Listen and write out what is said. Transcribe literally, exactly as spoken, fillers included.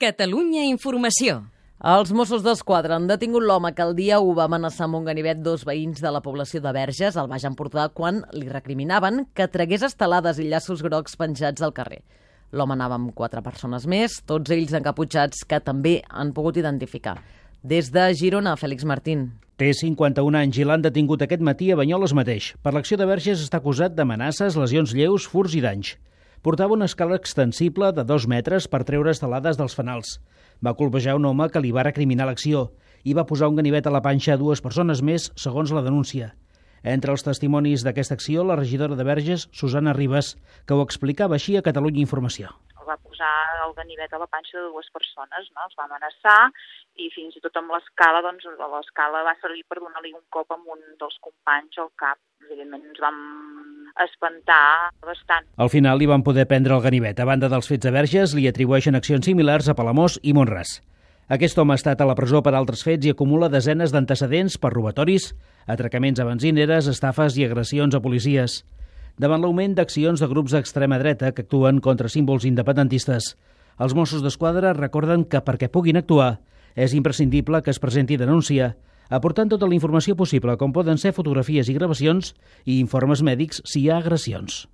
Catalunya Informació. Els Mossos d'Esquadra han detingut l'home que el dia u va amenaçar amb un ganivet dos veïns de la població de Verges, al Baix Empordà, quan li recriminaven que tragués estelades i llaços grocs penjats al carrer. L'home anava amb quatre persones més, tots ells encaputxats, que també han pogut identificar. Des de Girona, Fèlix Martín. Té cinquanta-un anys i l'han detingut aquest matí a Banyoles mateix. Per l'acció de Verges està acusat d'amenaces, lesions lleus, furts i danys. Portava una escala extensible de dos metres per treure estelades dels fanals. Va colpejar un home que li va recriminar l'acció i va posar un ganivet a la panxa a dues persones més, segons la denúncia. Entre els testimonis d'aquesta acció, la regidora de Verges, Susana Ribas, que ho explicava així a Catalunya Informació. El va posar el ganivet a la panxa de dues persones, no? Els va amenaçar i fins i tot amb l'escala, doncs l'escala va servir per donar-li un cop amb un dels companys al cap. Evidentment ens vam espantar bastant. Al final li van poder prendre el ganivet. A banda dels fets de Verges, li atribueixen accions similars a Palamós i Mont-ras. Aquest home ha estat a la presó per altres fets i acumula desenes d'antecedents per robatoris, atracaments a benzineres, estafes i agressions a policies. Davant l'augment d'accions de grups d'extrema dreta que actuen contra símbols independentistes, els Mossos d'Esquadra recorden que perquè puguin actuar és imprescindible que es presenti denúncia, aportant tota la informació possible, com poden ser fotografies i gravacions i informes mèdics si hi ha agressions.